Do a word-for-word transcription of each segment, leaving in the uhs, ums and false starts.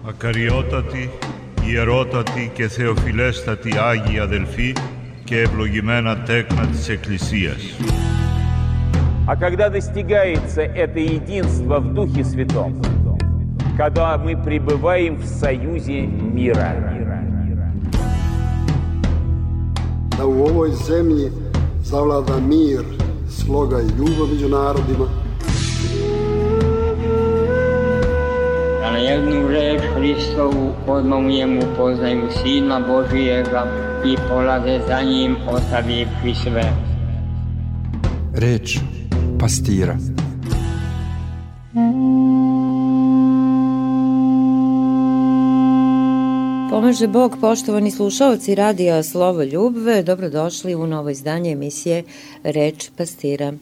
Ακαριότατοι, ιερότατοι και θεοφιλέστατοι Άγιοι αδελφοί και ευλογημένα τέκνα της Εκκλησίας. А когда достигается это единство в Духе Святом, когда мы пребываем в союзе мира. Da u ovoj zemlji zavlada mir, sloga i ljubav među narodima. Da na jednu reč Hristovu odmah poznaju Sina Božijega i polaze za njim ostavivši sve. Reč pastira. Pomaže Bog, poštovani slušaoci radija Slovo Ljubve, dobrodošli u novo izdanje emisije Reč pastira.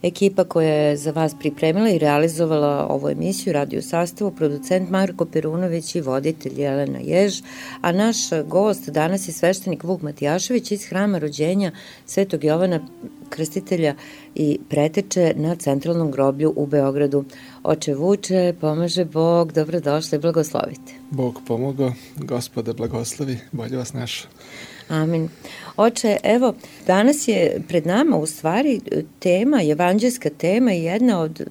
Ekipa koja je za vas pripremila i realizovala ovu emisiju, radio sastavu, producent Marko Perunović i voditelj Jelena Jež, a naš gost danas je sveštenik Vuk Matijašević iz Hrama rođenja Svetog Jovana Krstitelja i preteče na Centralnom groblju u Beogradu. Oče Vuče, pomaže Bog, dobrodošli, blagoslovite. Bog pomogao, Gospode blagoslovi, bolje vas našao. Amin. Oče, evo, danas je pred nama u stvari tema, evanđelska tema i jedna od,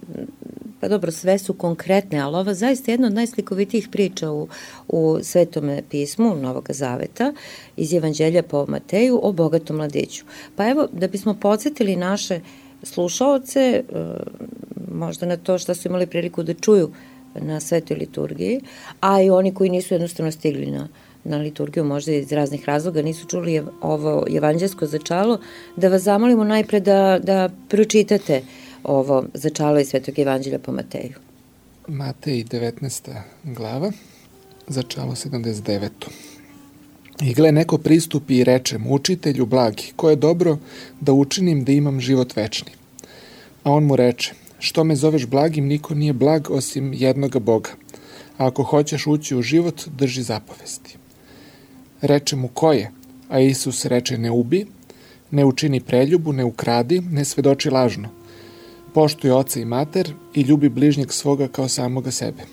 pa dobro, sve su konkretne, ali ova zaista jedna od najslikovitijih priča u, u Svetome pismu Novog Zaveta iz Evanđelja po Mateju o bogatom mladiću. Pa evo, da bismo podsjetili naše slušaoce, možda na to što su imali priliku da čuju na Svetoj liturgiji, a i oni koji nisu jednostavno stigli na na liturgiju, možda iz raznih razloga nisu čuli ovo evanđelsko začalo, da vas zamolimo najpre da, da pročitate ovo začalo iz Svetog evanđelja po Mateju. Matej devetnaesta glava, začalo sedamdeset deveto. I gle, neko pristupi i reče mu, učitelju blagi, ko je dobro da učinim da imam život večni. A on mu reče, što me zoveš blagim, niko nije blag osim jednoga Boga. A ako hoćeš ući u život, drži zapovesti. Reče mu, ko je? A Isus reče, ne ubi, ne učini preljubu, ne ukradi, ne svedoči lažno. Poštuj oca i mater i ljubi bližnjeg svoga kao samoga sebe.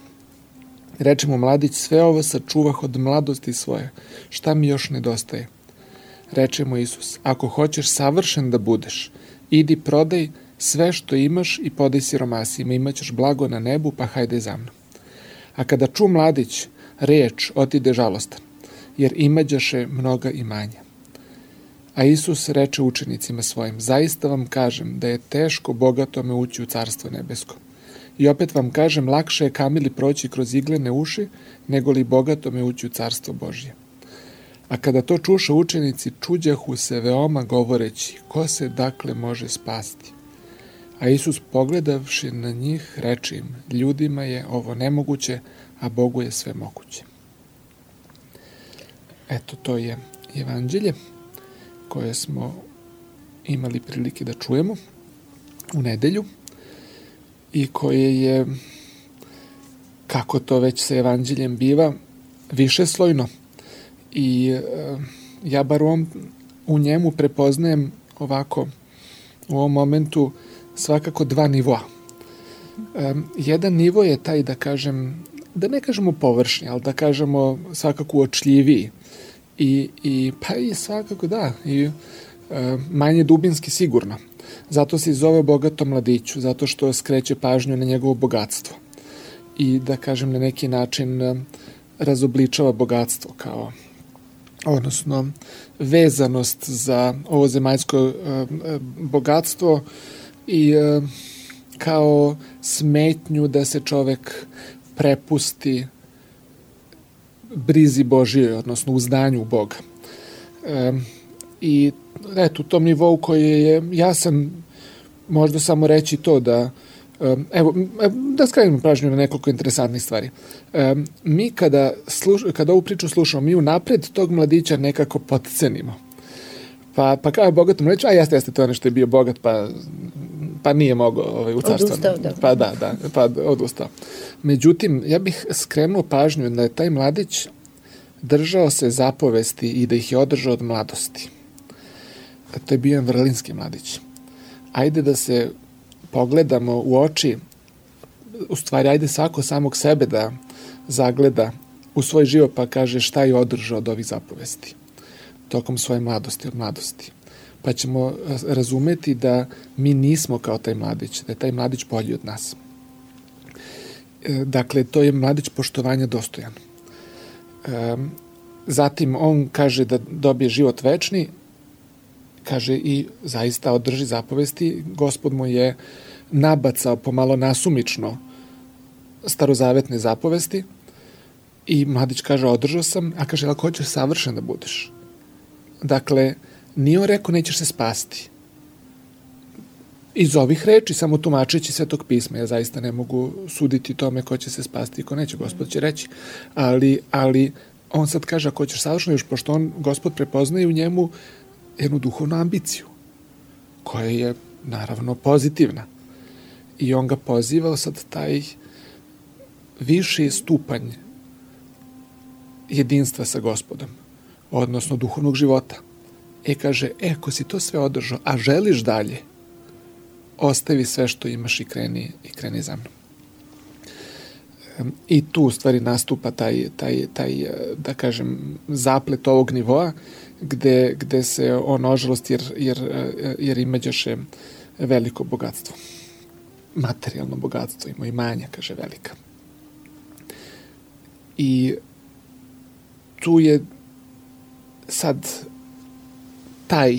Reče mu mladić, sve ovo sačuvah od mladosti svoje, šta mi još nedostaje? Reče mu Isus, ako hoćeš savršen da budeš, idi prodaj sve što imaš i podaj siromasima, imaćeš blago na nebu, pa hajde za mnom. A kada ču mladić reč, otide žalostan, jer imađaše mnoga imanja. A Isus reče učenicima svojim, zaista vam kažem da je teško bogatome ući u carstvo nebesko. I opet vam kažem, lakše je kamili proći kroz iglene uši, nego li bogatome ući u carstvo Božje. A kada to čuše učenici, čuđahu se veoma govoreći, ko se dakle može spasti? A Isus pogledavši na njih, reče im, ljudima je ovo nemoguće, a Bogu je sve moguće. Eto, to je evanđelje koje smo imali prilike da čujemo u nedelju i koje je, kako to već sa evanđeljem biva, višeslojno. I e, ja bar on, u njemu prepoznajem ovako, u ovom momentu, svakako dva nivoa. E, jedan nivo je taj, da kažem, da ne kažemo površni, ali da kažemo svakako uočljiviji. I, i pa i svakako da, i e, manje dubinski sigurno. Zato se i zove bogato mladiću, zato što skreće pažnju na njegovo bogatstvo. I da kažem na neki način e, razobličava bogatstvo kao, odnosno vezanost za ovo zemaljsko e, e, bogatstvo i e, kao smetnju da se čovek prepusti brizi Božije, odnosno uzdanju Boga. E, I eto, u tom nivou koji je jasan, možda samo reći to da, e, evo, da skrenemo pažnju na nekoliko interesantnih stvari. E, mi kada, sluš, kada ovu priču slušamo, mi unapred tog mladića nekako potcenimo. Pa, pa kao je bogatom reći, a jeste, jeste, to je nešto je bio bogat, pa pa nije mogao ovaj, u carstvu. Odustao, da. Pa da, da, pa odustao. Međutim, ja bih skrenuo pažnju da je taj mladić držao se zapovesti i da ih je održao od mladosti. To je bio jedan vrlinski mladić. Ajde da se pogledamo u oči, u stvari ajde svako samog sebe da zagleda u svoj život, pa kaže šta je održao od ovih zapovesti tokom svoje mladosti, od mladosti. Pa ćemo razumeti da mi nismo kao taj mladić, da je taj mladić bolji od nas. Dakle, to je mladić poštovanja dostojan. Zatim on kaže da dobije život večni, kaže i zaista održi zapovesti. Gospod mu je nabacao pomalo nasumično starozavetne zapovesti i mladić kaže održao sam, a kaže ako hoćeš savršen da budeš. Dakle, nije on rekao nećeš se spasti. Iz ovih reči, samo tumačeći Svetog pisma, ja zaista ne mogu suditi tome ko će se spasti i ko neće, Gospod će reći. Ali, ali on sad kaže ako hoćeš savršeno, još pošto on, Gospod prepoznaje u njemu jednu duhovnu ambiciju, koja je naravno pozitivna. I on ga poziva sad taj viši stupanj jedinstva sa Gospodom, odnosno duhovnog života. E kaže, e, ako si to sve održao, a želiš dalje, ostavi sve što imaš i kreni, i kreni za mnom. I tu u stvari nastupa taj, taj, taj, da kažem, zaplet ovog nivoa, gde, gde se on ožalost, jer, jer, jer imađaše veliko bogatstvo. Materijalno bogatstvo, ima i manja, kaže, velika. I tu je sad taj,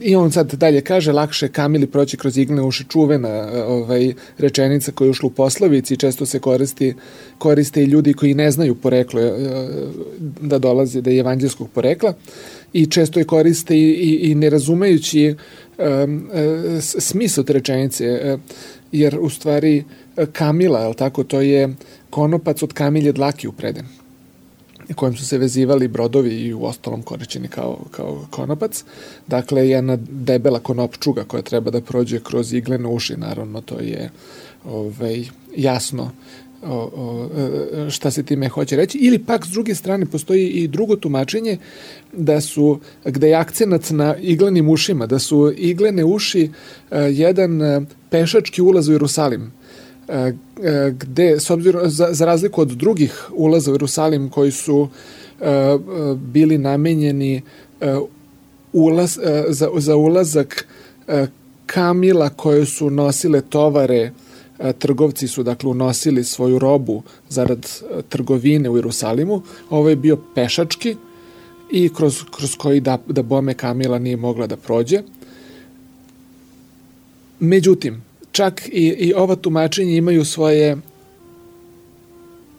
i on sad dalje kaže, lakše kamili proći kroz iglene uši, čuvena ovaj, rečenica koja je ušla u poslovici i često se koristi, koriste i ljudi koji ne znaju poreklo da dolaze, da je evanđelskog porekla i često je koriste i, i, i ne razumejući um, smisao te rečenice, jer u stvari kamila, je li tako, to je konopac od kamilje dlake upreden, kojim su se vezivali brodovi i u ostalom korišćeni kao, kao konopac. Dakle, jedna debela konopčuga koja treba da prođe kroz iglene uši, naravno, to je ovaj, jasno o, o, šta se time hoće reći. Ili pak, s druge strane, postoji i drugo tumačenje, da su, gde je akcenat na iglenim ušima, da su iglene uši a, jedan a, pešački ulaz u Jerusalim, gde, s obzirom, za, za razliku od drugih ulaza u Jerusalim koji su uh, bili namenjeni uh, ulaz, uh, za, za ulazak uh, kamila koje su nosile tovare, uh, trgovci su dakle unosili svoju robu zarad uh, trgovine u Jerusalimu, ovo je bio pešački i kroz, kroz koji da, da bome kamila nije mogla da prođe. Međutim, čak i, i ova tumačenja imaju svoje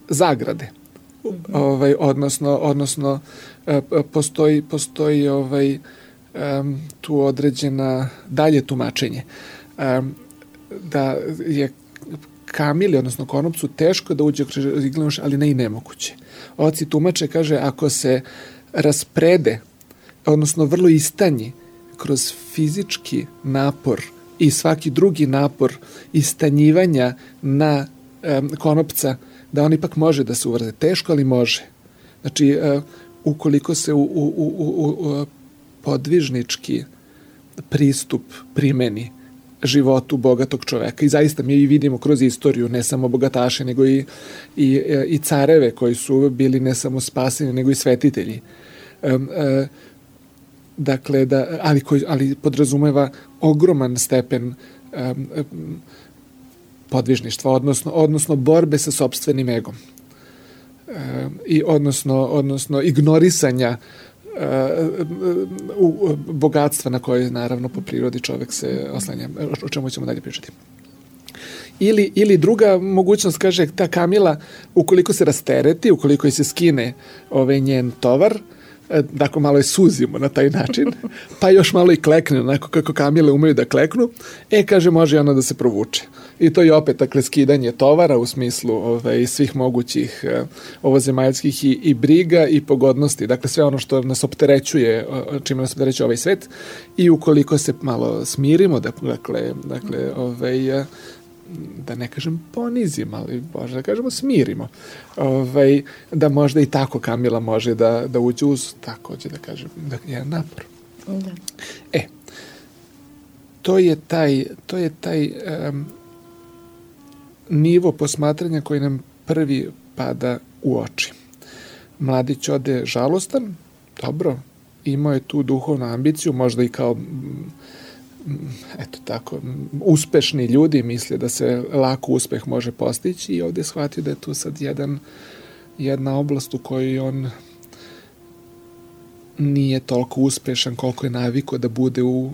zagrade. Mm-hmm. Ovaj, odnosno, odnosno postoji, postoji ovaj, um, tu određena dalje tumačenje. Um, da je kamili, odnosno konopcu, teško da uđe kroz iglenu uši, ali ne i nemoguće. Oci tumače, kaže, ako se rasprede, odnosno vrlo istanji kroz fizički napor i svaki drugi napor istanjivanja na um, konopca, da on ipak može da se uvrze. Teško, ali može. Znači, uh, ukoliko se u, u, u, u, u podvižnički pristup primeni životu bogatog čoveka, i zaista mi i vidimo kroz istoriju ne samo bogataše, nego i, i, i careve koji su bili ne samo spaseni, nego i svetitelji. Um, uh, Dakle, da, ali, koji, ali podrazumeva ogroman stepen um, um, podvižništva, odnosno, odnosno borbe sa sopstvenim egom. Um, i odnosno, odnosno ignorisanja uh, uh, bogatstva na koje, naravno, po prirodi čovek se oslanja. O čemu ćemo dalje pričati. Ili, ili druga mogućnost, kaže, ta kamila, ukoliko se rastereti, ukoliko se skine ovaj njen tovar, dakle malo je suzimo na taj način, pa još malo i klekne, onako kako kamile umeju da kleknu, e, kaže, može ona da se provuče. I to je opet, dakle, skidanje tovara u smislu ovaj, svih mogućih ovozemaljskih i, i briga i pogodnosti, dakle, sve ono što nas opterećuje, čime nas opterećuje ovaj svet, i ukoliko se malo smirimo, dakle, dakle ovaj, da ne kažem ponizim, ali možda da kažemo smirimo, ovaj, da možda i tako kamila može da, da uđe uz, takođe da kažem, da je napor. Da. E, to je taj, to je taj um, nivo posmatranja koji nam prvi pada u oči. mladić ode žalostan, dobro, imao je tu duhovnu ambiciju, možda i kao eto tako, uspešni ljudi misle da se lako uspeh može postići i ovdje shvatio da je tu sad jedan, jedna oblast u kojoj on nije toliko uspešan koliko je navikao da bude u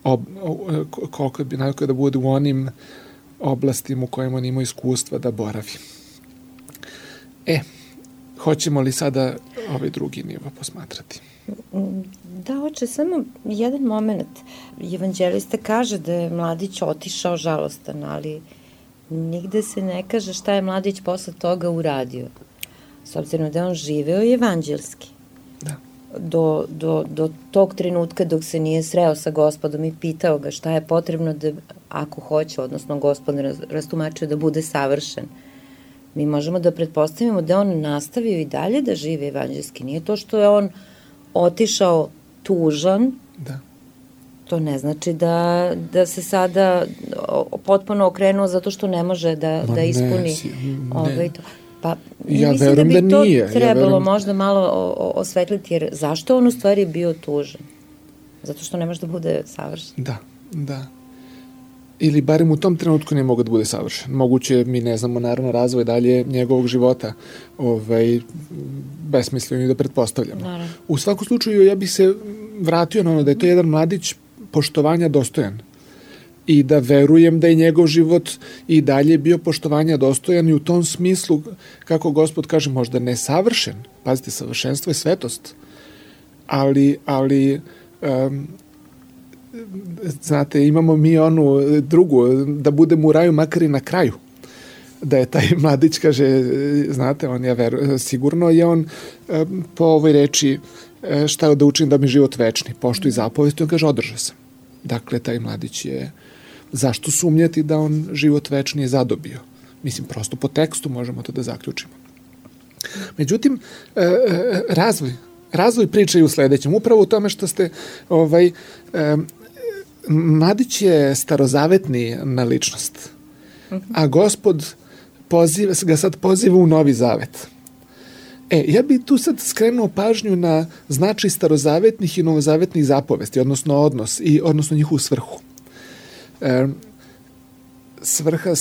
ob, koliko bi navikao da bude u onim oblastima u kojima on ima iskustva da boravi. E, hoćemo li sada ovaj drugi nivo posmatrati? Da, hoće samo jedan moment. Evanđelista kaže da je mladić otišao žalostan, ali nigde se ne kaže šta je mladić posle toga uradio. S obzirom da je on živeo evanđelski. Da. Do, do, do tog trenutka dok se nije sreo sa Gospodom i pitao ga šta je potrebno da, ako hoće, odnosno Gospod rastumačio da bude savršen. Mi možemo da pretpostavimo da on nastavio i dalje da žive evanđelski. Nije to što je on otišao tužan, da. To ne znači da, da se sada potpuno okrenuo zato što ne može da, da ispuni ne, ovaj to. Pa ja mislim da bi da to nije. trebalo ja verujem... možda malo o, o, osvetliti, jer zašto on u stvari bio tužan? Zato što ne može da bude savršen. Da, da. Ili barem u tom trenutku ne mogu da bude savršen. Moguće, mi ne znamo naravno razvoj dalje njegovog života, ovaj, besmisleno i da pretpostavljamo. Naravno. U svakom slučaju ja bih se vratio na ono da je to jedan mladić poštovanja dostojan i da verujem da je njegov život i dalje bio poštovanja dostojan i u tom smislu, kako Gospod kaže, možda nesavršen, pazite, savršenstvo je svetost, ali, ali um, znate, imamo mi onu drugu, da budemo u raju makar i na kraju. Da je taj mladić, kaže, znate, on je veru, sigurno je on po ovoj reči šta da učim da mi život večni, poštuj zapovesti, on kaže, održao sam. Dakle, taj mladić je, zašto sumnjati da on život večni je zadobio? Mislim, prosto po tekstu možemo to da zaključimo. Međutim, razvoj, razvoj priče je u sledećem, upravo u tome što ste ovaj, mladić je starozavetni na ličnost, a Gospod poziva, ga sad poziva u Novi Zavet. E, ja bih tu sad skrenuo pažnju na značaj starozavetnih i novozavetnih zapovesti, odnosno odnos i odnosno njihovu svrhu. E, svrha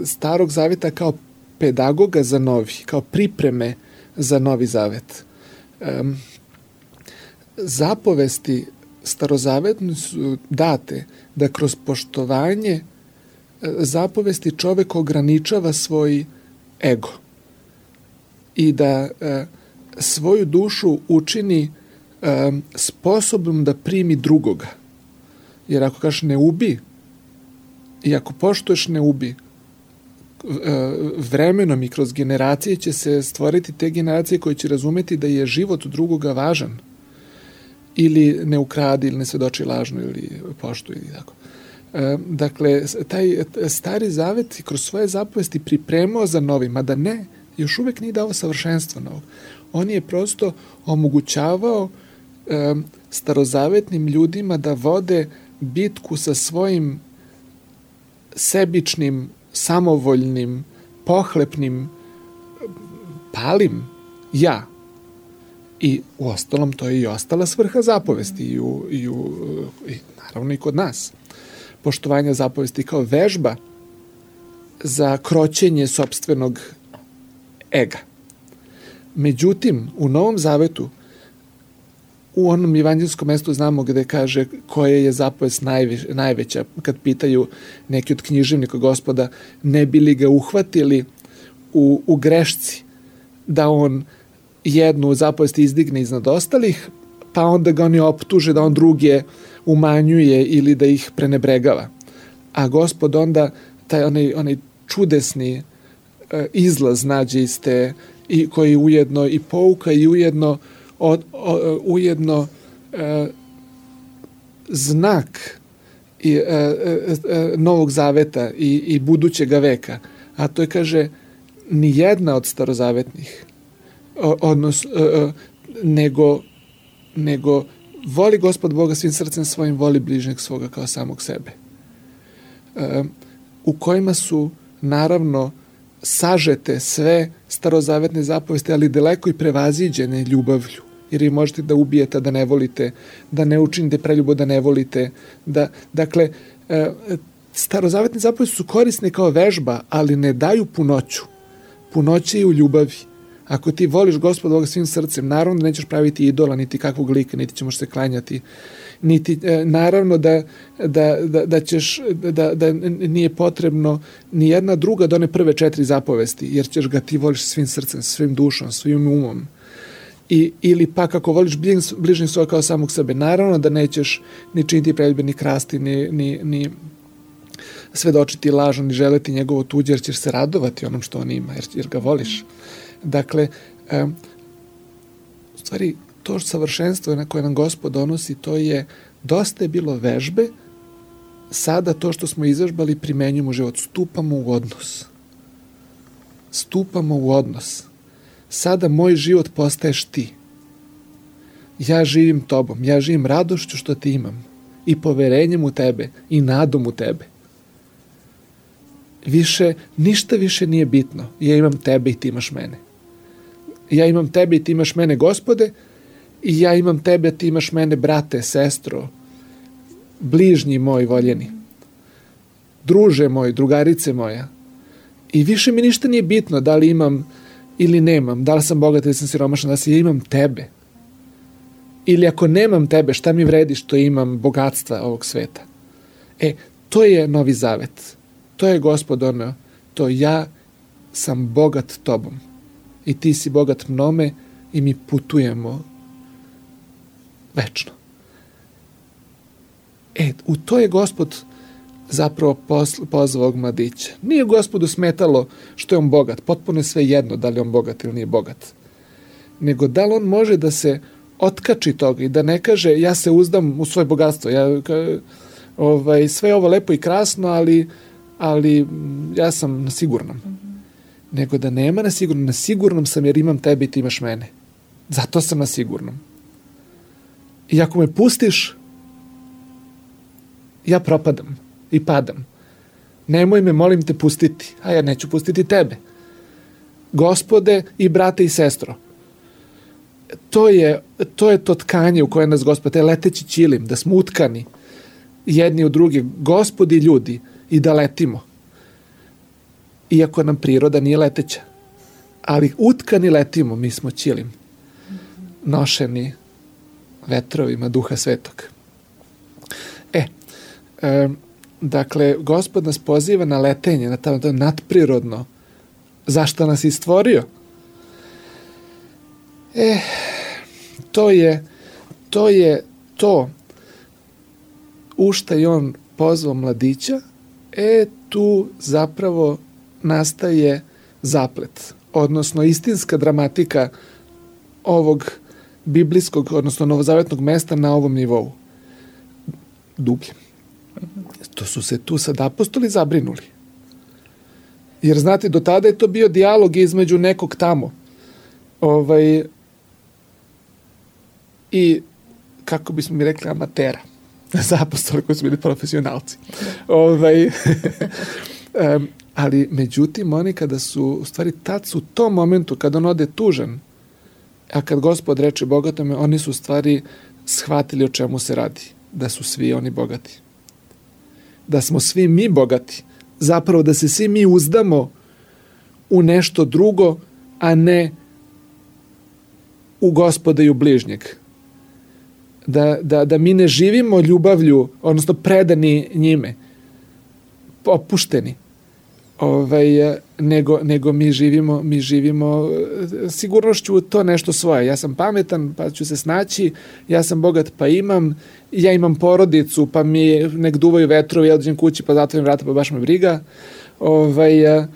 starog zaveta kao pedagoga za novi, kao pripreme za Novi Zavet. E, zapovesti starozavetni su date da kroz poštovanje zapovesti čovek ograničava svoj ego i da e, svoju dušu učini e, sposobnom da primi drugoga. Jer ako kažeš ne ubi i ako poštuješ ne ubi, e, vremenom i kroz generacije će se stvoriti te generacije koje će razumeti da je život drugoga važan. Ili ne ukradi, ili ne svedoči lažno, ili poštuj, ili tako. E, dakle, taj stari zavet kroz svoje zapovesti pripremao za novi, mada ne, još uvek nije dao savršenstvo novog. On je prosto omogućavao e, starozavetnim ljudima da vode bitku sa svojim sebičnim, samovoljnim, pohlepnim, palim ja. I u ostalom to je i ostala svrha zapovesti i, u, i, u, i naravno i kod nas. Poštovanje zapovesti kao vežba za kroćenje sopstvenog ega. Međutim, u Novom Zavetu, u onom evanđelskom mestu znamo gde kaže koja je zapovest najveć, najveća, kad pitaju neki od književnika Gospoda, ne bi li ga uhvatili u, u grešci, da on jednu zapovest izdigne iznad ostalih, pa onda ga oni optuže da on druge umanjuje ili da ih prenebregava. A Gospod onda taj onaj, onaj čudesni e, izlaz nađe iz te, i koji ujedno i pouka i ujedno, o, o, ujedno e, znak i, e, e, Novog Zaveta i, i budućega veka. A to je, kaže, ni jedna od starozavetnih odnos, nego, nego voli Gospod Boga svim srcem svojim, voli bližnjeg svoga kao samog sebe. U kojima su naravno sažete sve starozavetne zapovesti, ali daleko i prevaziđene ljubavlju. Jer vi možete da ubijete, da ne volite, da ne učinite preljubo, da ne volite. Da, dakle, starozavetne zapovesti su korisne kao vežba, ali ne daju punoću. Punoće je u ljubavi. Ako ti voliš Gospoda Boga svim srcem, naravno da nećeš praviti idola, niti kakvog lika, niti ćeš se klanjati, niti, e, naravno da, da, da, da, ćeš, da, da nije potrebno ni jedna druga do one prve četiri zapovesti, jer ćeš ga ti voliš svim srcem, svim dušom, svim umom. I, ili pak ako voliš bližnjeg svoga kao samog sebe, naravno da nećeš ni činiti preljube, ni krasti, ni, ni, ni svedočiti lažno, ni želeti njegovo tuđe, jer ćeš se radovati onom što on ima, jer, jer ga voliš. Dakle, um, u stvari, to savršenstvo na koje nam Gospod donosi, to je, dosta je bilo vežbe, sada to što smo izvežbali primenjujemo u život, stupamo u odnos. Stupamo u odnos. Sada moj život postaješ ti. Ja živim tobom, ja živim radošću što ti imam i poverenjem u tebe i nadom u tebe. Više, ništa više nije bitno. Ja imam tebe i ti imaš mene. Ja imam tebe i ti imaš mene, Gospode, i ja imam tebe, ti imaš mene, brate, sestro, bližnji moj voljeni, druže moj, drugarice moja. I više mi ništa nije bitno da li imam ili nemam, da li sam bogat ili sam siromašan, da si ja imam tebe. Ili ako nemam tebe, šta mi vredi što imam bogatstva ovog sveta? E, to je Novi Zavet. To je Gospod ono, to ja sam bogat tobom i ti si bogat mnome i mi putujemo večno. E, u to je Gospod zapravo pozvao ovog mladića. Nije Gospodu smetalo što je on bogat, potpuno je sve jedno da li on bogat ili nije bogat, nego da li on može da se otkači toga i da ne kaže ja se uzdam u svoje bogatstvo, ja, ovaj, sve je ovo lepo i krasno, ali ali ja sam na sigurnom. Mm-hmm. Nego da nema na sigurnom. Na sigurnom sam jer imam tebe i ti imaš mene. Zato sam na sigurnom. I ako me pustiš, ja propadam i padam. Nemoj me, molim te, pustiti. A ja neću pustiti tebe. Gospode i brate i sestro. To je to, je to tkanje u koje nas Gospod, taj leteći ćilim, da smo utkani jedni u drugi, Gospod i ljudi, i da letimo. Iako nam priroda nije leteća. Ali utkani letimo, mi smo ćilim. Nošeni vetrovima Duha Svetog. E, e, dakle, Gospod nas poziva na letenje, na to nadprirodno. Zašto nas je stvorio? E, to je to je to u šta je on pozvao mladića. E, tu zapravo nastaje zaplet, odnosno istinska dramatika ovog biblijskog, odnosno novozavetnog mesta na ovom nivou. Dublje. To su se tu sad apostoli zabrinuli. Jer, znate, do tada je to bio dijalog između nekog tamo. Ovaj, i, kako bismo mi rekli, amatera. Za apostole koji su bili profesionalci. Ovaj, um, ali, međutim, oni kada su, u stvari, tad su u tom momentu, kada on ode tužan, a kad Gospod reče bogatome, oni su u stvari shvatili o čemu se radi. Da su svi oni bogati. Da smo svi mi bogati. Zapravo da se svi mi uzdamo u nešto drugo, a ne u Gospoda i u bližnjeg. Da, da, da mi ne živimo ljubavlju, odnosno predani njime, opušteni, ovaj, nego, nego mi živimo, mi živimo sigurnošću to nešto svoje. Ja sam pametan, pa ću se snaći, ja sam bogat, pa imam, ja imam porodicu, pa mi nek duvaju vetrovi, ja dođem kući, pa zatvorim vrata, pa baš me briga. Ovaj, a,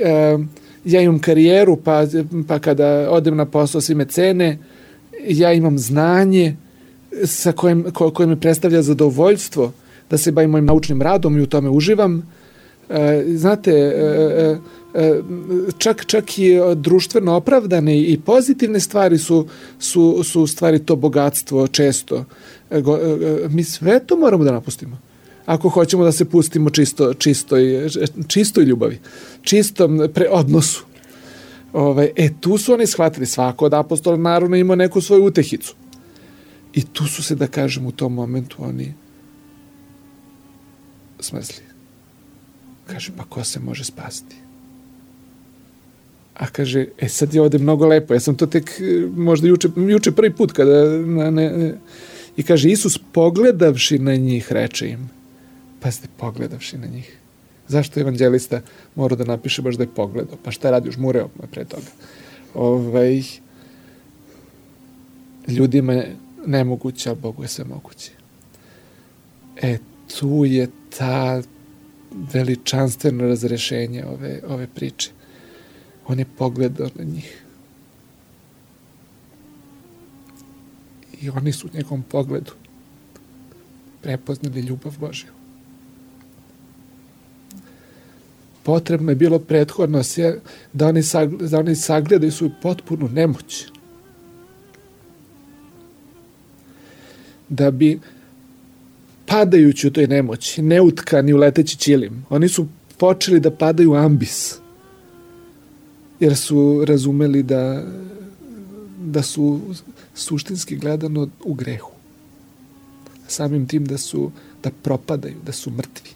a, ja imam karijeru, pa, pa kada odem na posao svi me cene, ja imam znanje sa kojim, ko, koje mi predstavlja zadovoljstvo da se bavim mojim naučnim radom i u tome uživam. E, znate, e, e, čak, čak i društveno opravdane i pozitivne stvari su, su, su u stvari to bogatstvo često. E, go, e, mi sve to moramo da napustimo. ako hoćemo da se pustimo čisto, čistoj, čistoj ljubavi, čistom pre odnosu. Ovaj, e, tu su oni shvatili, svako od apostola naravno ima neku svoju utehicu. I tu su se, da kažem, u tom momentu oni smrzli. Kaže, pa ko se može spasti? A kaže, e sad je ovde mnogo lepo, ja sam to tek možda juče, juče prvi put kada, na, ne, i kaže, Isus pogledavši na njih, reče im, pazite, pogledavši na njih. Zašto evanđelista mora da napiše baš da je pogledao? Pa šta radi, žmureo pre toga? Ovaj, ljudima je nemoguće, a Bogu je sve moguće. E, tu je ta veličanstveno razrešenje ove, ove priče. On je pogledao na njih. I oni su u njegovom pogledu prepoznali ljubav Božju. Potrebno je bilo prethodno da oni, sagledaju, da oni sagledaju svoju potpunu nemoć. Da bi padajući u toj nemoći, neutkani u leteći ćilim, oni su počeli da padaju u ambis. Jer su razumeli da, da su suštinski gledano u grehu. Samim tim da su, da propadaju, da su mrtvi.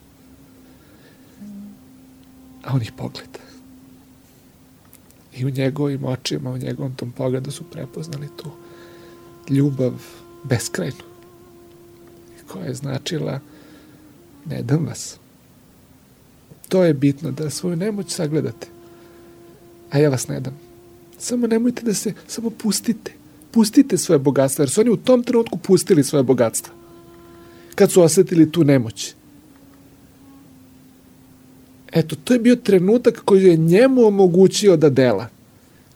A on ih pogleda. I u njegovim očima, u njegovom tom pogledu su prepoznali tu ljubav beskrajnu. Koja je značila ne dam vas. To je bitno, da svoju nemoć sagledate. A ja vas ne dam. Samo nemojte da se, samo pustite. Pustite svoje bogatstvo, jer su oni u tom trenutku pustili svoje bogatstvo. Kad su osjetili tu nemoć. Eto, to je bio trenutak koji je njemu omogućio da dela.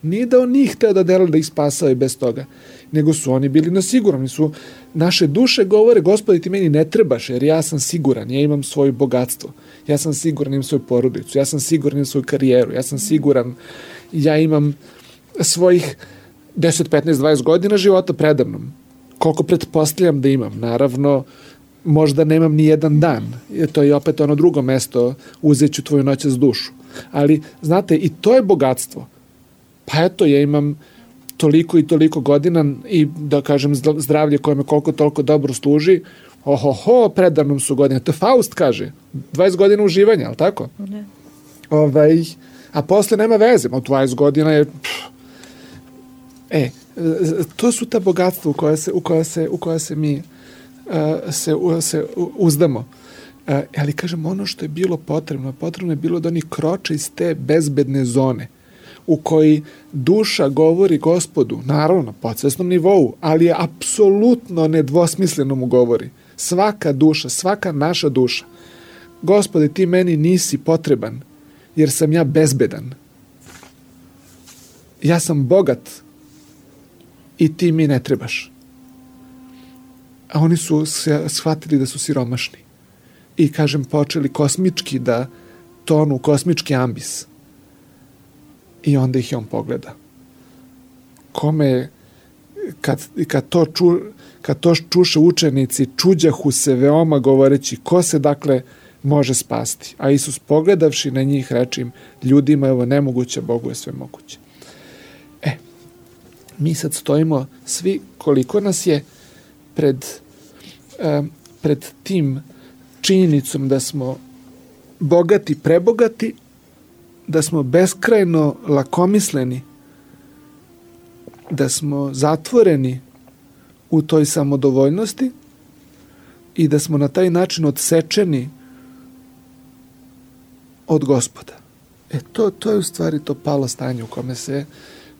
Nije da on nije hteo da dela, da ih spasao i bez toga. Nego su oni bili na sigurnom. Su, naše duše govore, Gospodi, ti meni ne trebaš, jer ja sam siguran, ja imam svoje bogatstvo. Ja sam siguran, imam svoju porodicu. Ja sam siguran, imam svoju karijeru. Ja sam siguran, ja imam svojih deset, petnaest, dvadeset godina života predavnom. Koliko pretpostavljam da imam. Naravno, možda nemam ni jedan dan. To je opet ono drugo mesto, uzet ću tvoju noćas dušu. Ali, znate, i to je bogatstvo. Pa eto, ja imam toliko i toliko godina i, da kažem, zdravlje koje me koliko toliko dobro služi. Ohoho, predavnom su godine. To Faust kaže. dvadeset godina uživanja, ali tako? Ne. Ovaj, a posle nema veze. Od dvadeset godina je... Pff. E, to su ta bogatstva u koja se, u koja se, u koja se mi uh, se, uh, se uzdamo. Uh, ali, kažem, ono što je bilo potrebno, potrebno je bilo da oni kroče iz te bezbedne zone u koji duša govori Gospodu, naravno, na podsvesnom nivou, ali je apsolutno nedvosmisleno mu govori. Svaka duša, svaka naša duša. Gospode, ti meni nisi potreban, jer sam ja bezbedan. Ja sam bogat i ti mi ne trebaš. A oni su shvatili da su siromašni. I, kažem, počeli kosmički da tonu, kosmički ambis. I onda ih je on pogleda. Kome, kad, kad, to, ču, kad to čuše učenici, čuđahu se veoma govoreći, ko se dakle može spasti? A Isus pogledavši na njih reče im, ljudima je ovo nemoguće, Bogu je sve moguće. E, mi sad stojimo svi, koliko nas je pred, eh, pred tim činjenicom da smo bogati, prebogati, da smo beskrajno lakomisleni, da smo zatvoreni u toj samodovoljnosti i da smo na taj način odsečeni od Gospoda. E, to, to je u stvari to palo stanje u kome se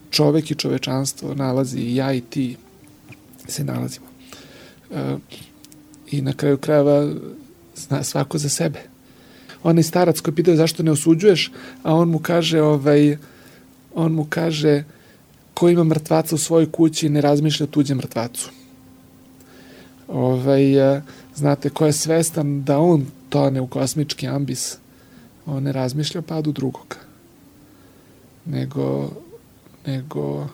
čovek i čovečanstvo nalazi, i ja i ti se nalazimo. E, I na kraju krajeva zna svako za sebe. Onaj starac koji pitao zašto ne osuđuješ, a on mu kaže, ovaj, on mu kaže, ko ima mrtvaca u svojoj kući ne razmišlja o tuđem mrtvacu. Ovaj, znate, ko je svestan da on tone u kosmički ambis, on ne razmišlja o padu drugoga. Nego, nego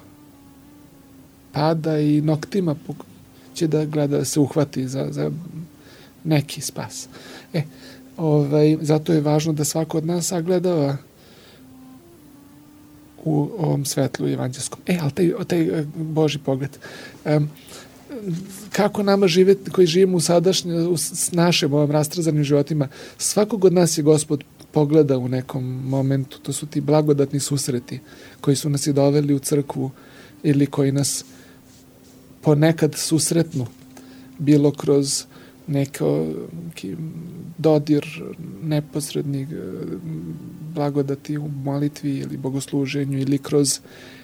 pada i noktima će da gleda, da se uhvati za, za, neki spas. E, ovaj, zato je važno da svako od nas sagledava u ovom svetlu evanđelskom. E, ali taj, taj Božji pogled. Um, kako nama živeti, koji živimo u sadašnje, u s našim ovom rastrazanim životima, svakog od nas je Gospod pogleda u nekom momentu. To su ti blagodatni susreti koji su nas i doveli u crkvu ili koji nas ponekad susretnu, bilo kroz neko dodir neposrednih blagodati u molitvi ili bogosluženju ili kroz,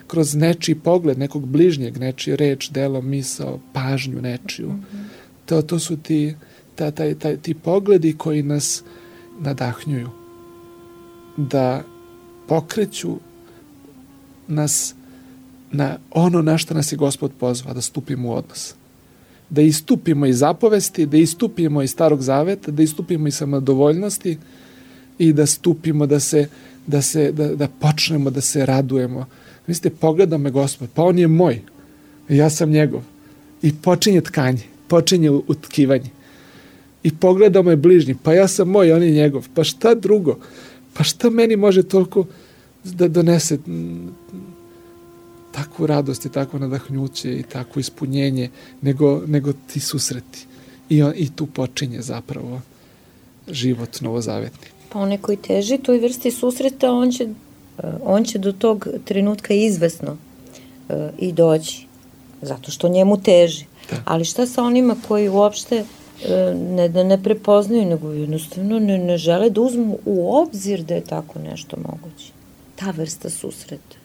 kroz nečiji pogled, nekog bližnjeg, nečiji reč, delo, misao, pažnju nečiju. Mm-hmm. To, to su ti, ta, taj, taj, ti pogledi koji nas nadahnjuju da pokreću nas na ono na što nas je Gospod pozvao, da stupimo u odnos. Da istupimo iz zapovesti, da istupimo iz Starog Zaveta, da istupimo iz samodovoljnosti i da stupimo, da se, da se, da, da počnemo da se radujemo. Mislite, pogleda me Gospod, pa on je moj, ja sam njegov. I počinje tkanje, počinje utkivanje. I pogleda me bližnji, pa ja sam moj, on je njegov. Pa šta drugo? Pa šta meni može toliko da donese takvu radost i takvo nadahnuće i takvo ispunjenje nego, nego ti susreti. I, on, I tu počinje zapravo život novozavetni. Pa onaj koji teži toj vrsti susreta, on će, on će do tog trenutka izvesno uh, i doći. Zato što njemu teži. Da. Ali šta sa onima koji uopšte uh, ne da ne prepoznaju, nego jednostavno ne, ne žele da uzmu u obzir da je tako nešto moguće. Ta vrsta susreta.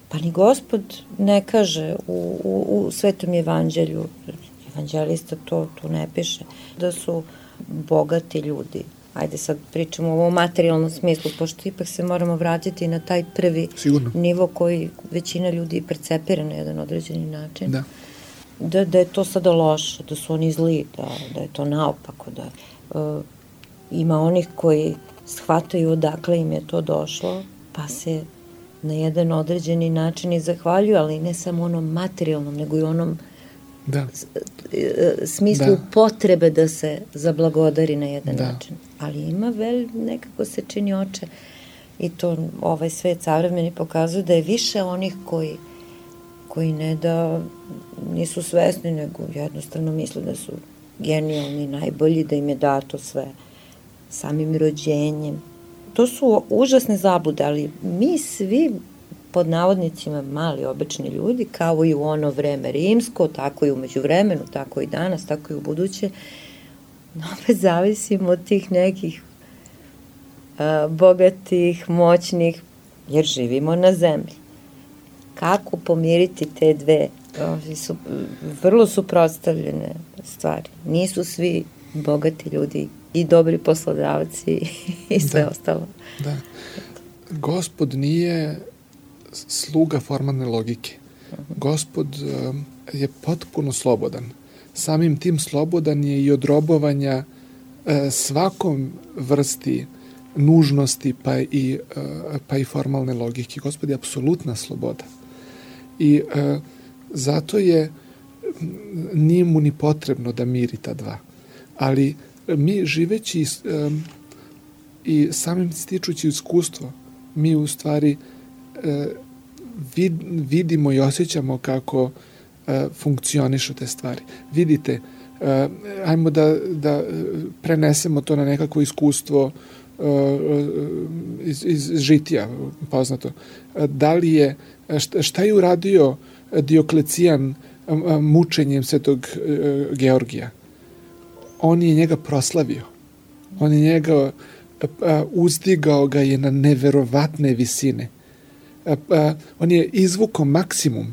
Pa ni Gospod ne kaže u, u, u Svetom evanđelju, evanđelista to, to ne piše, da su bogati ljudi. Ajde sad pričamo o ovom materijalnom smislu, pošto ipak se moramo vratiti na taj prvi Sigurno. Nivo koji većina ljudi percepira na jedan određeni način. Da. Da, da je to sada loše, da su oni zli, da, da je to naopako, da uh, ima onih koji shvataju odakle im je to došlo, pa se na jedan određeni način i zahvaljuju, ali ne samo onom materijalnom, nego i onom da. smislu da. Potrebe da se zablagodari na jedan da. Način. Ali ima vel, nekako se čini oče i to ovaj svet savremeni pokazuje da je više onih koji, koji ne da nisu svesni, nego jednostavno misle da su genijalni, najbolji, da im je dato sve samim rođenjem. To su užasne zablude, ali mi svi pod navodnicima mali obični ljudi, kao i u ono vreme rimsko, tako i umeđu vremenu, tako i danas, tako i u buduće, opet zavisimo od tih nekih a, bogatih, moćnih, jer živimo na zemlji. Kako pomiriti te dve? Ovi su vrlo suprotstavljene stvari. Nisu svi bogati ljudi i dobri poslodavci i sve da. Ostalo. Da. Gospod nije sluga formalne logike. Gospod um, je potpuno slobodan. Samim tim slobodan je i od robovanja uh, svakom vrsti nužnosti pa i, uh, pa i formalne logike. Gospod je apsolutna sloboda. I uh, zato je nije mu ni potrebno da miri ta dva. Ali mi živeći um, i samim stičući iskustvo, mi u stvari uh, vid, vidimo i osjećamo kako uh, funkcionišu te stvari. Vidite, uh, ajmo da, da prenesemo to na nekako iskustvo uh, iz, iz žitija, poznato. Uh, da li je, šta, šta je uradio Dioklecijan um, mučenjem svetog uh, Georgija? On je njega proslavio. On je njega a, uzdigao ga je na neverovatne visine. A, a, on je izvukao maksimum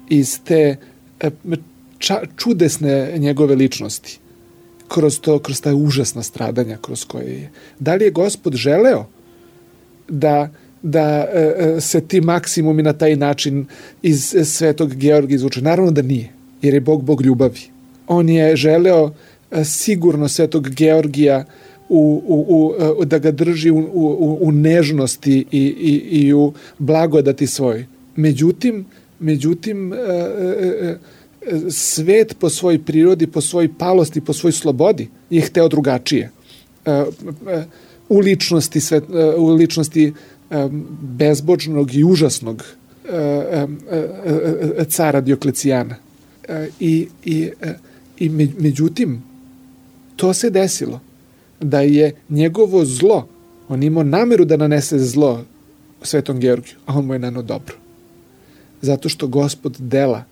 iz te a, ča, čudesne njegove ličnosti. Kroz to, kroz ta užasna stradanja kroz koje je. Da li je Gospod želeo da, da a, se ti maksimumi na taj način iz svetog Georgija izvuče? Naravno da nije, jer je Bog Bog ljubavi. On je želeo sigurno svetog Georgija u, u, u, da ga drži u, u, u nežnosti i, i, i u blagodati svoj. Međutim, međutim svet po svojoj prirodi, po svojoj palosti, po svojoj slobodi je hteo drugačije. U ličnosti, svet, u ličnosti bezbožnog i užasnog cara Dioklecijana. I, i, i međutim, to se desilo da je njegovo zlo, on imao nameru da nanese zlo Svetom Georgiju, a on mu je naneo dobro. Zato što Gospod dela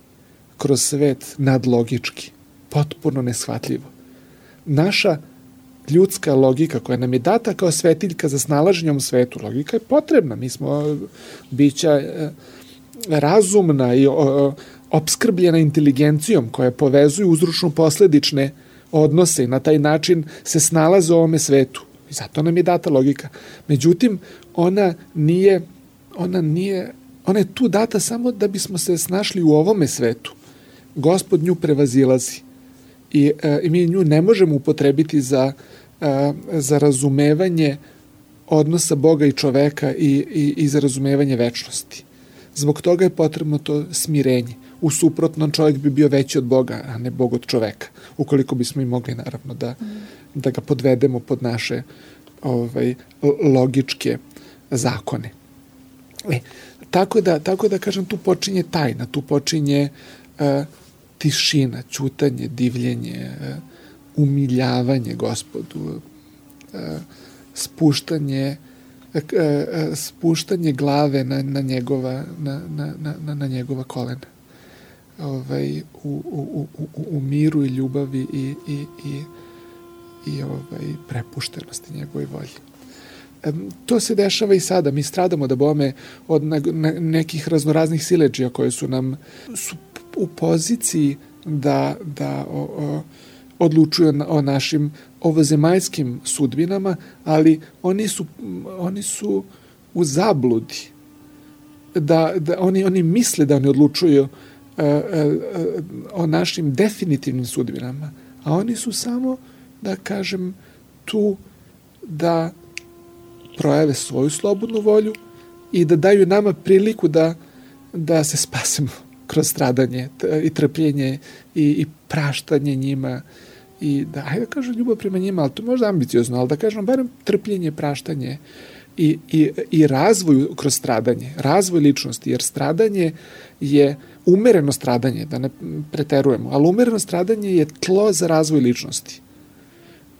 kroz svet nadlogički, potpuno neshvatljivo. Naša ljudska logika koja nam je data kao svetiljka za snalaženje u svetu, logika je potrebna. Mi smo bića razumna i opskrbljena inteligencijom koja povezuje uzročno-posledične odnose i na taj način se snalaze u ovome svetu. I zato nam je data logika. Međutim, ona nije, ona nije, ona je tu data samo da bismo se snašli u ovome svetu. Gospod nju prevazilazi. I, e, i mi nju ne možemo upotrebiti za, e, za razumevanje odnosa Boga i čoveka i, i, i za razumevanje večnosti. Zbog toga je potrebno to smirenje. U suprotnom čovjek bi bio veći od Boga, a ne Bog od čoveka. Ukoliko bismo i mogli, naravno, da, mm. da ga podvedemo pod naše ovaj, logičke zakone. E, tako, da, tako da, kažem, tu počinje tajna, tu počinje uh, tišina, ćutanje, divljenje, uh, umiljavanje Gospodu, uh, spuštanje uh, uh, spuštanje glave na, na, njegova, na, na, na, na njegova kolena. Ovaj, u, u, u, u miru i ljubavi i, i, i, i ovaj, prepuštenosti njegovoj volji. E, to se dešava i sada. Mi stradamo da bome od na, na, nekih raznoraznih siledžija koje su nam su u poziciji da, da o, o, odlučuju na, o našim ovozemaljskim sudbinama, ali oni su, oni su u zabludi. Da, da oni, oni misle da oni odlučuju o našim definitivnim sudbinama, a oni su samo, da kažem, tu da projave svoju slobodnu volju i da daju nama priliku da, da se spasemo kroz stradanje i trpljenje i, i praštanje njima i da, hajde da kažem, ljubav prema njima, ali to možda ambiciozno, ali da kažem, barem trpljenje, praštanje i, i, i razvoj kroz stradanje, razvoj ličnosti, jer stradanje je umereno stradanje, da ne preterujemo, ali umereno stradanje je tlo za razvoj ličnosti.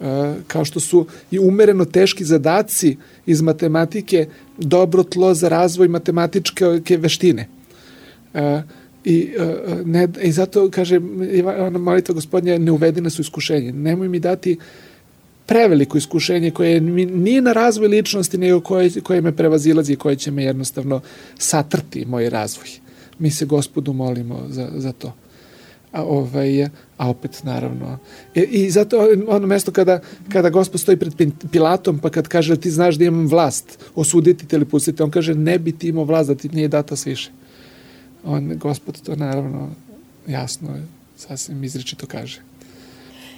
E, kao što su i umereno teški zadaci iz matematike dobro tlo za razvoj matematičke veštine. E, i, e, ne, I zato, kaže, ona molitva Gospodnja, ne uvedi nas u iskušenje. Nemoj mi dati preveliko iskušenje koje nije na razvoj ličnosti, nego koje, koje me prevazilazi i koje će me jednostavno satrti moj razvoj. Mi se Gospodu molimo za, za to. A, ovaj, a opet, naravno. I, i zato ono mesto kada, kada Gospod stoji pred Pilatom, pa kad kaže ti znaš da imam vlast, osuditi te ili pustiti, on kaže ne bi ti imao vlast da ti nije data sviše. On, Gospod to naravno jasno, sasvim izričito kaže.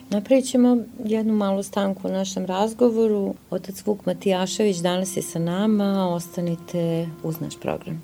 Napravit ćemo jednu malu stanku u našem razgovoru. Otac Vuk Matijašević danas je sa nama. Ostanite uz naš program.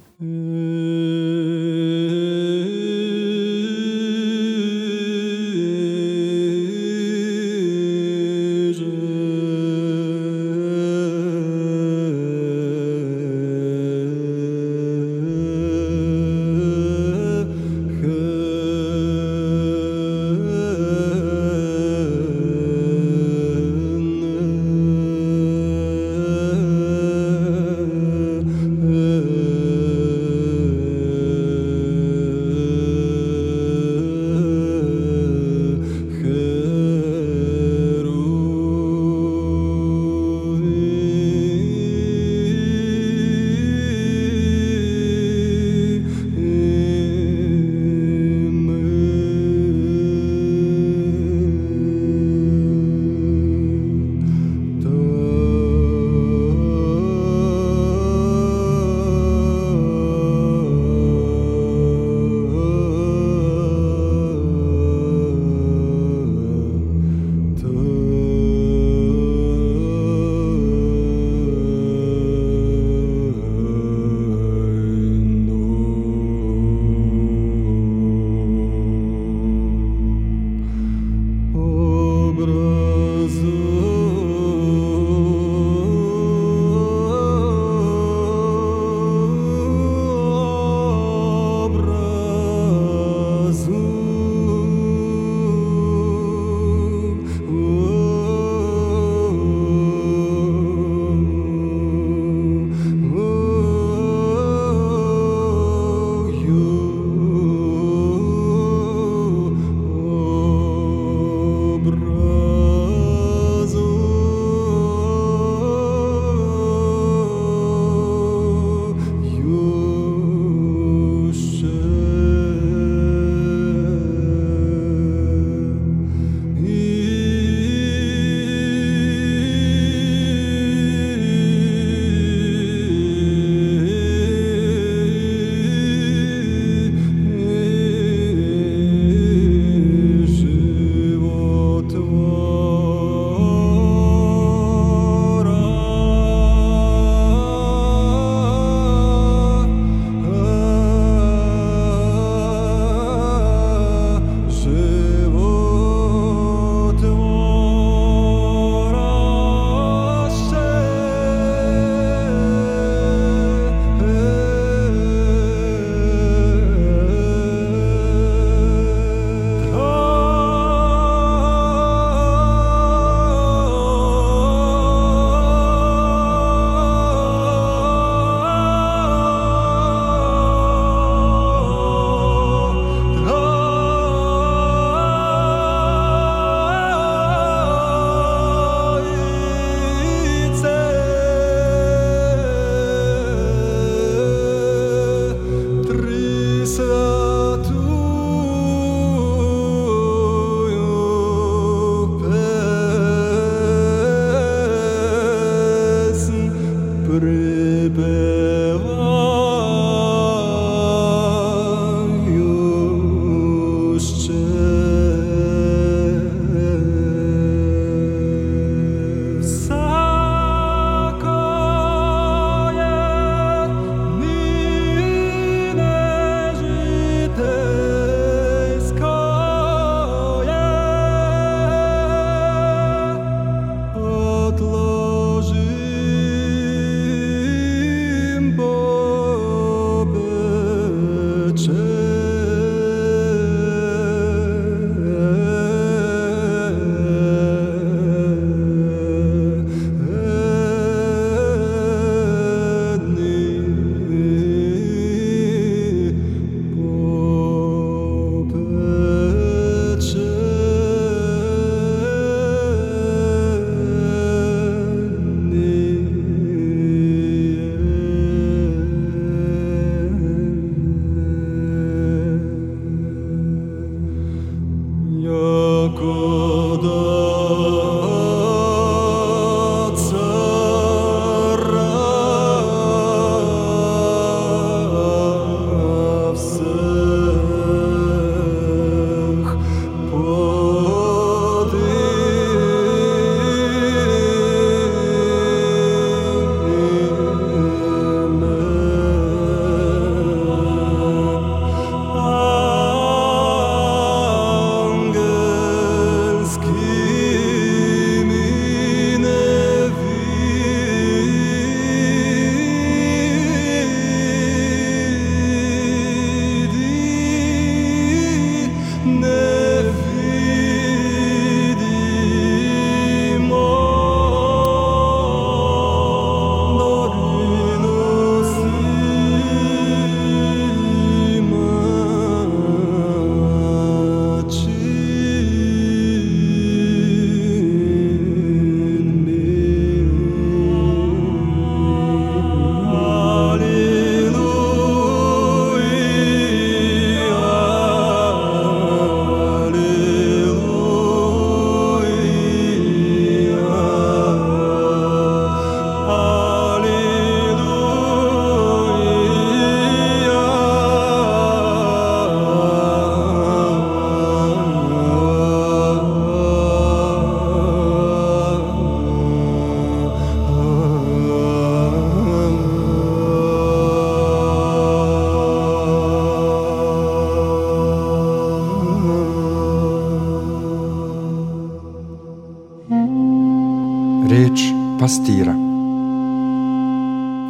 pastira.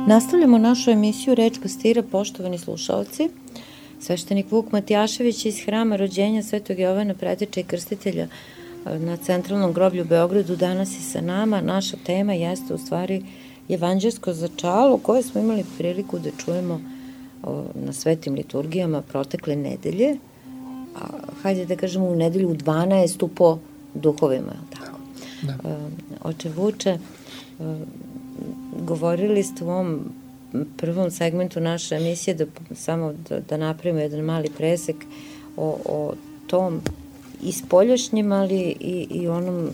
Nastavljamo našu emisiju Reč pastira, poštovani slušalci. Sveštenik Vuk Matijašević iz Hrama rođenja Svetog Jovana Preteča i Krstitelja na Centralnom groblju u Beogradu danas je sa nama. Naša tema jeste u stvari evanđelsko začalo koje smo imali priliku da čujemo na svetim liturgijama protekle nedelje, a hajde da kažemo u nedelju u dvanaestu po duhovima. Tako. Da. Da. Oče Vuče, govorili ste u ovom prvom segmentu naše emisije da samo da, da napravimo jedan mali presek o, o tom i spoljašnjem, ali i, i onom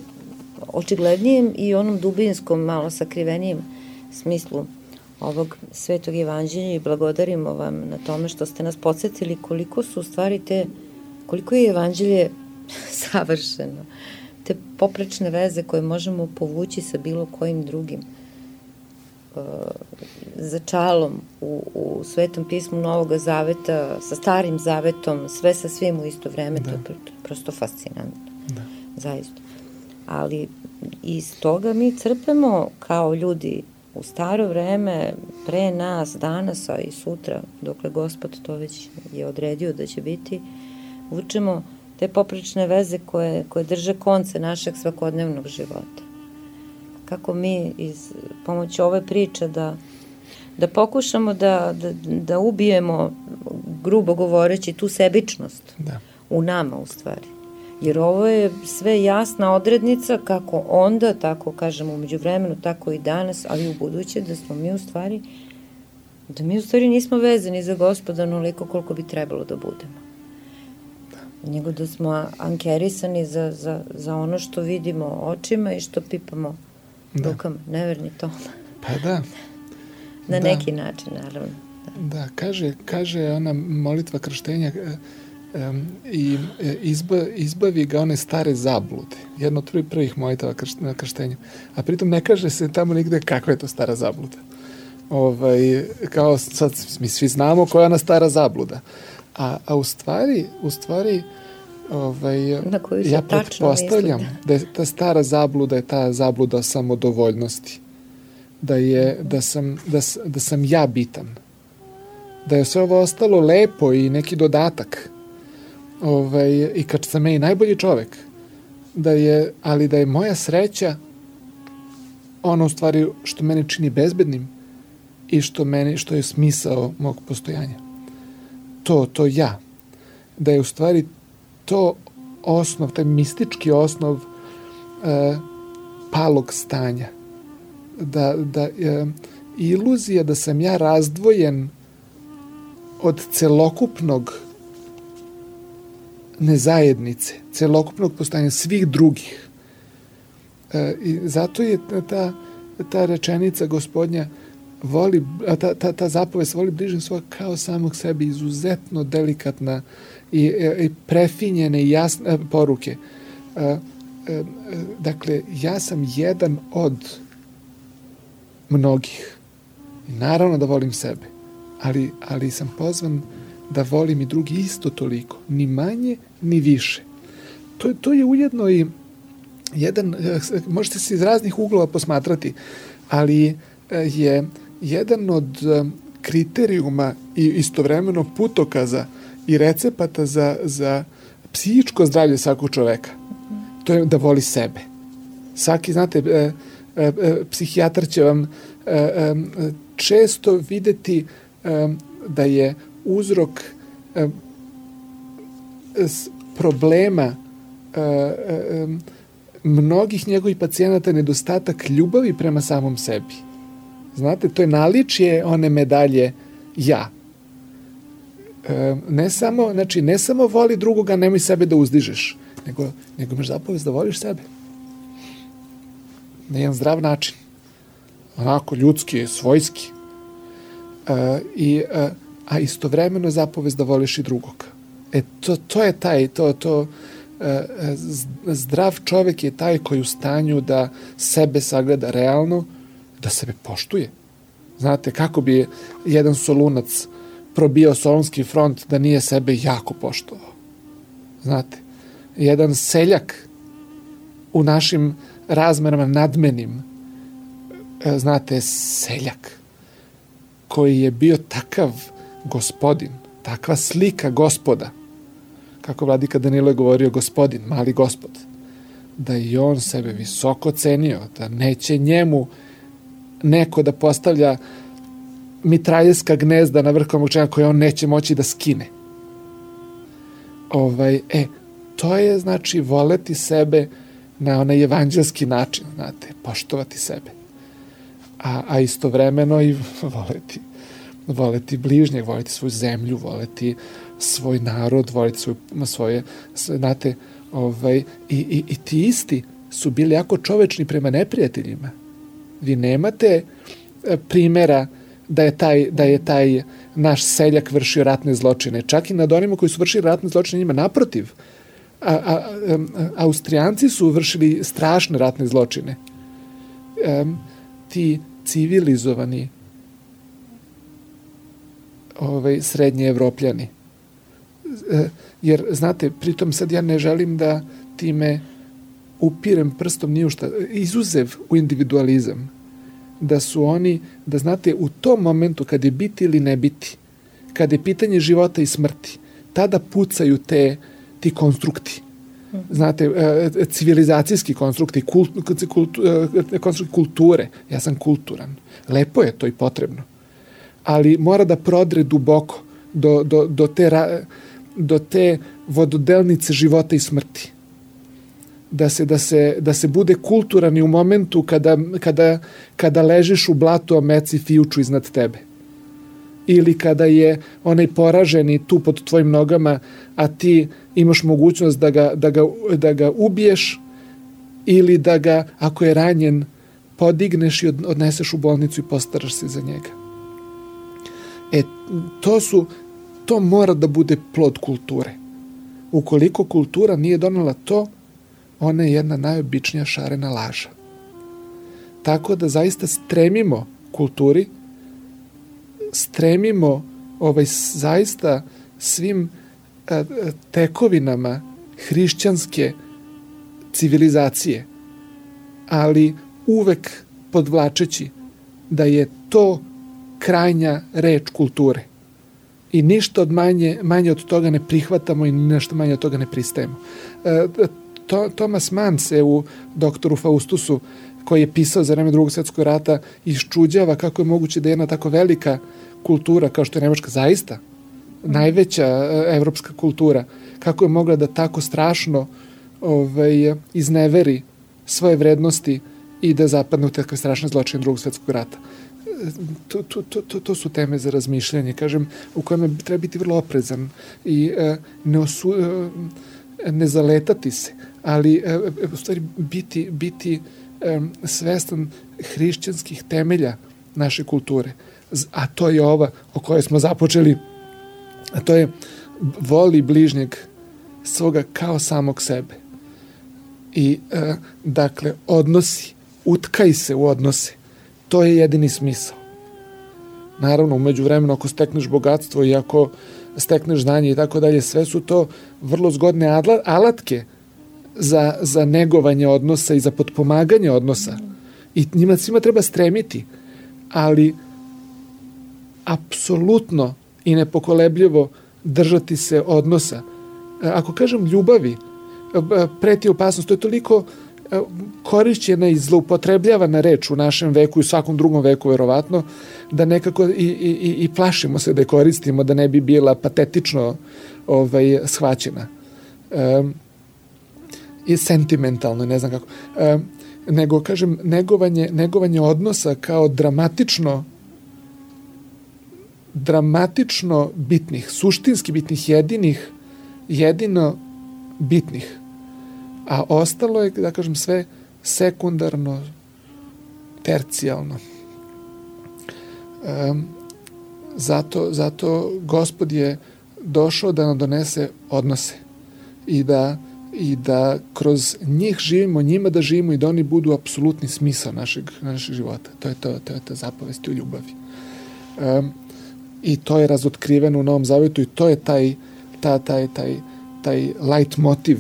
očiglednijem i onom dubinskom, malo sakrivenijem smislu ovog Svetog evanđelja i blagodarimo vam na tome što ste nas podsjetili koliko su u stvari te, koliko je evanđelje savršeno, te poprečne veze koje možemo povući sa bilo kojim drugim uh, začalom u, u Svetom pismu Novog Zaveta, sa Starim Zavetom, sve sa svim u isto vreme, da. To je prosto fascinantno, da. Zaista. Ali iz toga mi crpemo kao ljudi u staro vreme, pre nas, danas, a i sutra, dokle Gospod to već je odredio da će biti, vučemo te poprečne veze koje, koje drže konce našeg svakodnevnog života. Kako mi iz pomoći ove priče da, da pokušamo da, da, da ubijemo, grubo govoreći, tu sebičnost da. U nama u stvari. Jer ovo je sve jasna odrednica kako onda, tako kažemo umeđu vremenu, tako i danas, ali u buduće da smo mi u stvari, da mi u stvari nismo vezani za Gospoda onoliko koliko bi trebalo da budemo. Da. Nego da smo ankerisani za, za, za ono što vidimo očima i što pipamo da. Rukama. Neverni to. Pa da. Na da. Neki način, naravno. Da, da kaže, kaže ona molitva krštenja, Um, i izba, izbavi ga one stare zablude. Jedno od prvih, prvih molitava krš, na krštenju. A pritom ne kaže se tamo nigde kakva je to stara zabluda. Ovaj, kao sad mi svi znamo koja je ona stara zabluda. A, a u stvari, u stvari ovaj, ja pretpostavljam da je ta stara zabluda je ta zabluda samodovoljnosti. Da je, da sam, da, da sam ja bitan. Da je sve ovo ostalo lepo i neki dodatak. Ovaj, i kad sam ja i najbolji čovek, da je, ali da je moja sreća ono u stvari što mene čini bezbednim i što, meni, što je smisao mog postojanja. To, to ja. Da je u stvari to osnov, taj mistički osnov e, palog stanja. Da, da e, iluzija da sam ja razdvojen od celokupnog nezajednice, celokupnog postojanja svih drugih. E, i zato je ta, ta rečenica Gospodnja voli, ta, ta, ta zapovest voli bližnjeg svoga kao samog sebe, izuzetno delikatna i, i prefinjene i jasne poruke. E, e, dakle, ja sam jedan od mnogih. I naravno da volim sebe, ali, ali sam pozvan da volim i drugi isto toliko, ni manje, ni više. To, to je ujedno i jedan, možete se iz raznih uglova posmatrati, ali je jedan od kriterijuma i istovremeno putokaza i recepata za, za psihičko zdravlje svakog čoveka. To je da voli sebe. Svaki, znate, psihijatar će vam često videti da je uzrok eh, problema eh, eh, mnogih njegovih pacijenata nedostatak ljubavi prema samom sebi. Znate, to je naličje one medalje ja. Eh, ne samo, znači, ne samo voli drugoga, nemoj sebe da uzdižeš, nego, nego imaš zapovest da voliš sebe. Na jedan zdrav način. Onako, ljudski, svojski. Eh, I eh, a istovremeno zapovest da voliš i drugog. E, to, to je taj, to, to, e, zdrav čovek je taj koji je u stanju da sebe sagleda realno, da sebe poštuje. Znate, kako bi jedan Solunac probio Solunski front da nije sebe jako poštovao. Znate, jedan seljak u našim razmerama nadmenim znate, seljak koji je bio takav gospodin, takva slika gospoda, kako vladika Danilo je govorio gospodin, mali gospod, da i on sebe visoko cenio, da neće njemu neko da postavlja mitraljeska gnezda na vrhu čega koje on neće moći da skine. Ovaj, e, to je, znači, voleti sebe na onaj evanđelski način, znate, poštovati sebe. A, a istovremeno i voleti, voleti bližnjeg, voleti svoju zemlju, voleti svoj narod, voleti svoj, svoje, znate, ovaj, i, i, i ti isti su bili jako čovečni prema neprijateljima. Vi nemate primjera da je taj, da je taj naš seljak vršio ratne zločine. Čak i nad onima koji su vršili ratne zločine njima naprotiv. A, a, a, Austrijanci su vršili strašne ratne zločine. E, ti civilizovani ovaj, srednji Evropljani. E, jer, znate, pritom sad ja ne želim da time upirem prstom ni u šta, izuzev u individualizam, da su oni, da znate, u tom momentu kad je biti ili ne biti, kad je pitanje života i smrti, tada pucaju te, ti konstrukti. Znate, civilizacijski konstrukti, kult, kult, konstrukti kulture. Ja sam kulturan. Lepo je to i potrebno. Ali mora da prodre duboko do, do, do, te, do te vododelnice života i smrti. Da se, da se, da se bude kulturan i u momentu kada, kada, kada ležiš u blatu, a meci fijuču iznad tebe. Ili kada je onaj poraženi tu pod tvojim nogama, a ti imaš mogućnost da ga, da ga, da ga ubiješ ili da ga, ako je ranjen, podigneš i odneseš u bolnicu i postaraš se za njega. E, to su, to mora da bude plod kulture. Ukoliko kultura nije donela to, ona je jedna najobičnija šarena laža. Tako da zaista stremimo kulturi, stremimo ovaj, zaista svim a, tekovinama hrišćanske civilizacije, ali uvek podvlačeći da je to krajnja reč kulture. I ništa od manje, manje od toga ne prihvatamo i nešto manje od toga ne pristajemo. E, to, Thomas Mann se u doktoru Faustusu, koji je pisao za vreme Drugog svjetskog rata, iščuđava kako je moguće da je jedna tako velika kultura, kao što je Nemačka, zaista najveća evropska kultura, kako je mogla da tako strašno ovaj, izneveri svoje vrednosti i da zapadne u takve strašne zločine Drugog svjetskog rata. To, to, to, to su teme za razmišljanje, kažem, u kojima treba biti vrlo oprezan i e, ne, osu, e, ne zaletati se, ali e, u stvari biti, biti e, svestan hrišćanskih temelja naše kulture. A to je ova o kojoj smo započeli, a to je voli bližnjeg svoga kao samog sebe. I, e, dakle, odnosi, utkaj se u odnose. To je jedini smisao. Naravno, umeđu vremenu, ako stekneš bogatstvo i ako stekneš znanje i tako dalje, sve su to vrlo zgodne alatke za, za negovanje odnosa i za potpomaganje odnosa. I njima svima treba stremiti, ali apsolutno i nepokolebljivo držati se odnosa. Ako kažem ljubavi, preti opasnost, to je toliko korišćena i zloupotrebljavana reč u našem veku i u svakom drugom veku verovatno, da nekako i, i, i plašimo se da je koristimo, da ne bi bila patetično ovaj, shvaćena. Um, i sentimentalno, ne znam kako. Um, nego, kažem, negovanje, negovanje odnosa kao dramatično dramatično bitnih, suštinski bitnih, jedinih, jedino bitnih. A ostalo je, da kažem, sve sekundarno, tercijalno. Um, zato, zato Gospod je došao da nam donese odnose i da, i da kroz njih živimo, njima da živimo i da oni budu apsolutni smisao našeg, našeg života. To je to, to je ta zapovest u ljubavi. Um, I to je razotkriveno u Novom Zavetu i to je taj, ta, taj, taj, taj light motiv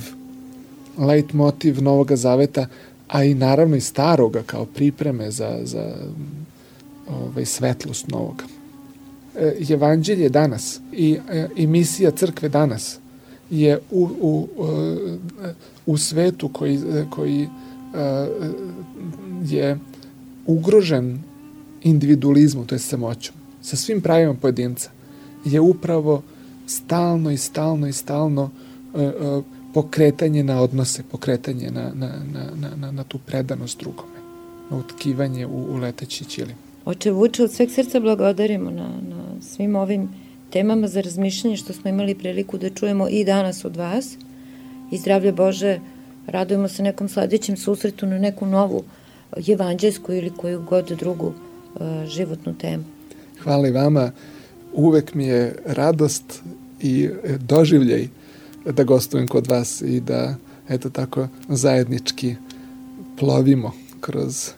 light motiv Novoga Zaveta, a i naravno i staroga kao pripreme za, za ovaj, svetlost novoga. E, evanđelje danas i, i misija crkve danas je u, u, u svetu koji, koji je ugrožen individualizmom, to je samoćom, sa svim pravima pojedinca, je upravo stalno i stalno i stalno pokretanje na odnose, pokretanje na, na, na, na, na tu predanost drugome, na utkivanje u, u leteći ćilim. Oče Vuče, od sveg srca благодарimo na, na svim ovim temama za razmišljanje što smo imali priliku da čujemo i danas od vas. I zdravlje Bože, radujemo se nekom sledećem susretu na neku novu evanđelsku ili koju god drugu uh, životnu temu. Hvala i vama. Uvek mi je radost i doživljaj da gostujem kod vas i da, eto tako, zajednički plovimo kroz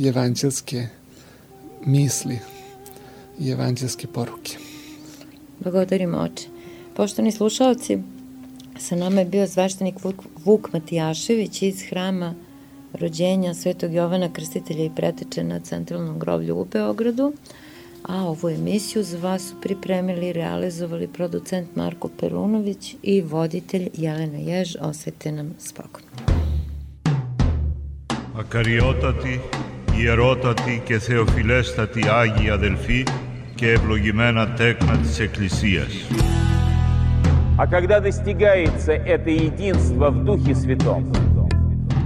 evanđelske misli i evanđelske poruke. Благодарим, Oče. Poštovani slušalci, sa nama je bio sveštenik Vuk, Vuk Matijašević iz hrama rođenja Svetog Jovana Krstitelja i Preteče na Centralnom groblju u Beogradu, a ovu emisiju za vas su pripremili i realizovali producent Marko Perunović i voditelj Jelena Jež. Osvete nam spokojno. Ακαριότατη, ιερότατη και θεοφιλέστατη Άγιοι αδελφοί και ευλογημένα τέκνα της Εκκλησίας. А когда достигается это единство в Духе Святом,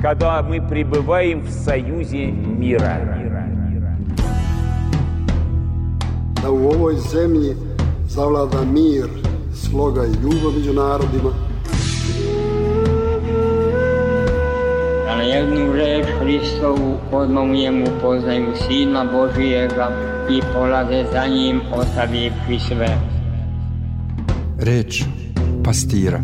когда мы пребываем в союзе мира, da u ovoj zemlji zavlada mir, sloga i ljubav među narodima, da na jednu reč Hristovu odmah u njemu poznaju Sina Božijega i polaze za njim ostavivši sve. Reč pastira.